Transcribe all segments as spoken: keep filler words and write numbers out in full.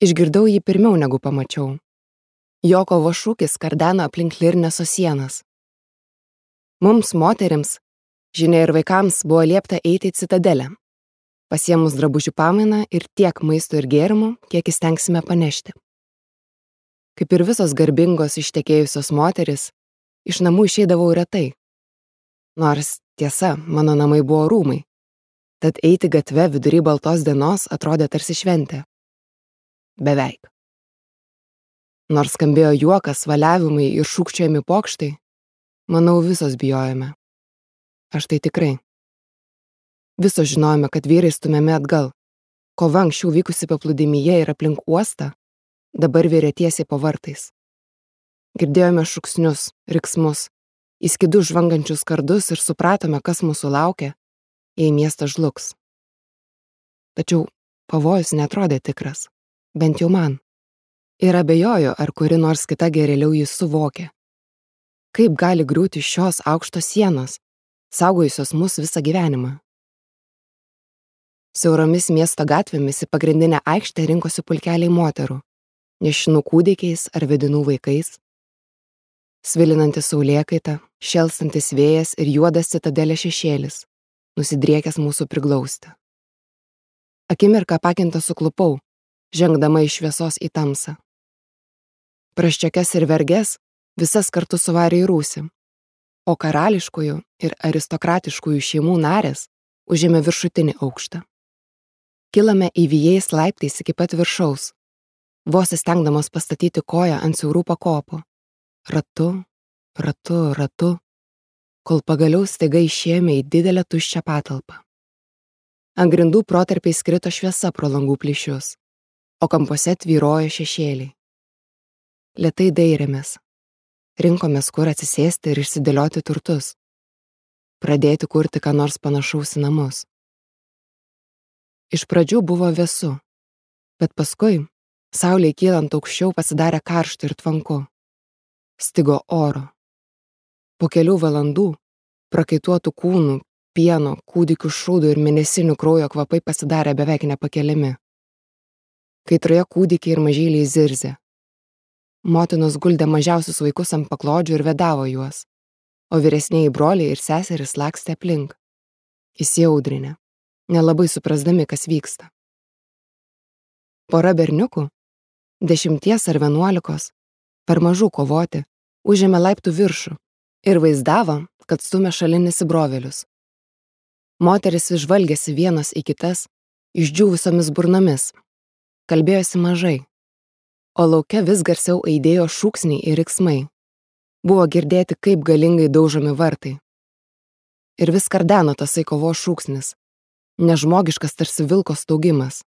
Išgirdau jį pirmiau negu pamačiau. Jo kovos šūkis kardeno aplink Lirneso sienas. Mums, moterims, žinia ir vaikams buvo liepta eiti į citadelę, pasiėmus drabužių pamainą ir tiek maisto ir gėrimų, kiek įstengsime panešti. Kaip ir visos garbingos ištekėjusios moteris, iš namų išeidavau retai. Nors, tiesa, mano namai buvo rūmai, tad eiti gatve vidury baltos dienos atrodė tarsi šventė. Beveik. Nors skambėjo juokas, valiavimai ir šūkčiojami pokštai, manau, visos bijojome. Aš tai tikrai. Visos žinojome, kad vyrai stumiami atgal. Kova anksčiau vykusi paplūdimyje ir aplink uostą, dabar virė tiesiai po vartais. Girdėjome šūksnius, riksmus, įskidus žvangančius kardus ir supratome, kas mūsų laukia, jei miestas žlugs. Tačiau pavojus netrodė tikras, bent jau man. Ir abejoju, ar kuri nors kita geriau jį suvokė. Kaip gali griūti šios aukštos sienos, saugojusios mus visą gyvenimą? Siauromis miesto gatvėmis į pagrindinę aikštę rinkosi pulkeliai moterų, nešinų kūdikiais ar vedinų vaikais. Svilinantis saulėkaita, šėlstantis vėjas ir juodas citadelės šešėlis, nusidriekęs mūsų priglausti. Akimirką pakintą suklupau, žengdama iš šviesos į tamsą. Praščiokes ir verges visas kartu suvarė į rūsį, o karališkųjų ir aristokratiškųjų šeimų narės užėmė viršutinį aukštą. Kilame įvijais laiptais iki pat viršaus, vos įstengdamos pastatyti koją ant siaurų pakopų. Ratu, ratu, ratu, kol pagaliau staiga išėjome į didelę tuščią patalpą. Ant grindų protarpiais krito šviesa pro langų plyšius, o kampuose tvyrojo šešėliai. Lėtai dairėmės. Rinkomės, kur atsisėsti ir išsidėlioti turtus. Pradėti kurti ką nors panašaus į namus. Iš pradžių buvo vėsu, bet paskui, saulei kylant aukščiau, pasidarė karšta ir tvanku. Stigo oro. Po kelių valandų prakaituotų kūnų, pieno, kūdikių šūdų ir mėnesinių kraujo kvapai pasidarė beveik nepakeliami. Kaitroje kūdikiai ir mažyliai zirzė. Motinos guldė mažiausius vaikus ant paklodžių ir vedavo juos, o vyresnieji broliai ir seserys lakstė aplink, įsiaudrinę, nelabai suprasdami, kas vyksta. Pora berniukų, dešimties ar vienuolikos, per mažų kovoti, užėmė laiptų viršų ir vaizdavo, kad stumia šalin įsibrovėlius. Moteris žvalgėsi vienos į kitas, išdžiūvusiomis burnomis, kalbėjosi mažai, o lauke vis garsiau aidėjo šūksniai ir riksmai. Buvo girdėti, kaip galingai daužomi vartai. Ir vis kardeno tasai kovos šūksnis, nežmogiškas tarsi vilko staugimas.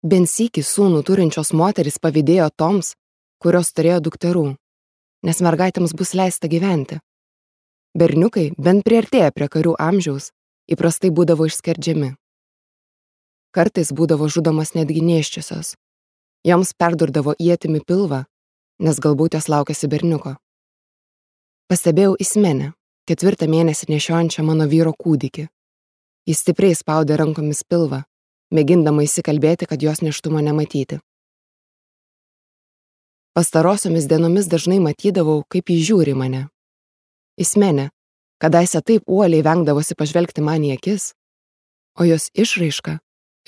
Bent sykį sūnų turinčios moterys pavydėjo toms, kurios turėjo dukterų, nes mergaitėms bus leista gyventi. Berniukai, bent priartėję prie karių amžiaus, įprastai būdavo išskerdžiami. Kartais būdavo žudomas netgi nėščiosios. Joms perdurdavo ietimi pilvą, nes galbūt jos laukėsi berniuko. Pastebėjau Ismenę, ketvirtą mėnesį nešiojančią mano vyro kūdikį. Jis stipriai spaudė rankomis pilvą, mėgindama įsikalbėti, kad jos nėštumo nematyti. Pastarosiomis dienomis dažnai matydavau, kaip jis žiūri mane. Ismenė, kadaise taip uoliai vengdavosi pažvelgti man į akis, o jos išraiška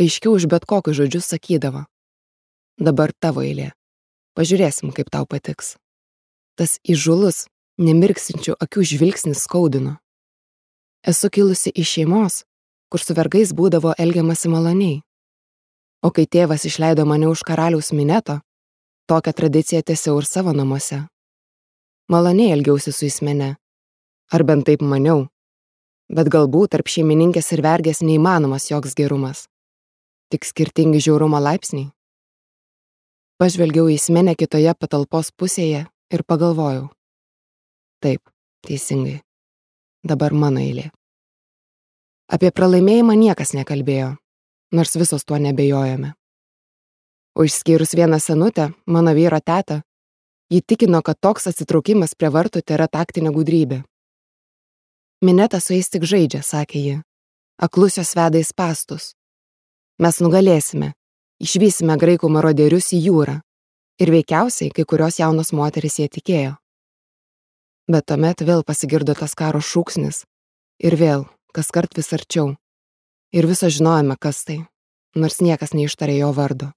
aiškiau už bet kokius žodžius sakydavo: dabar tavo eilė, pažiūrėsim, kaip tau patiks. Tas įžūlus, nemirksinčių akių žvilgsnis skaudino. Esu kilusi iš šeimos, kur su vergais būdavo elgiamasi maloniai. O kai tėvas išleido mane už karaliaus Mineto, tokią tradiciją tęsiau ir savo namuose. Maloniai elgiausi su Ismene, ar bent taip maniau, bet galbūt tarp šeimininkės ir vergės neįmanomas joks gerumas, tik skirtingi žiaurumo laipsniai. Pažvelgiau į Ismenę kitoje patalpos pusėje ir pagalvojau: taip, teisingai, dabar mano eilė. Apie pralaimėjimą niekas nekalbėjo, nors visos tuo nebejojome. O išskyrus vieną senutę, mano vyro tetą, ji tikino, kad toks atsitraukimas prie vartų tėra taktinė gudrybė. Minetas su jais tik žaidžia, sakė ji, aklus jos veda į spąstus. Mes nugalėsime, išvysime graikų marodierius į jūrą. Ir veikiausiai kai kurios jaunos moterys jie tikėjo. Bet tuomet vėl pasigirdo tas karo šūksnis. Ir vėl, kaskart vis arčiau. Ir viso žinojome, kas tai, nors niekas neištarė jo vardo.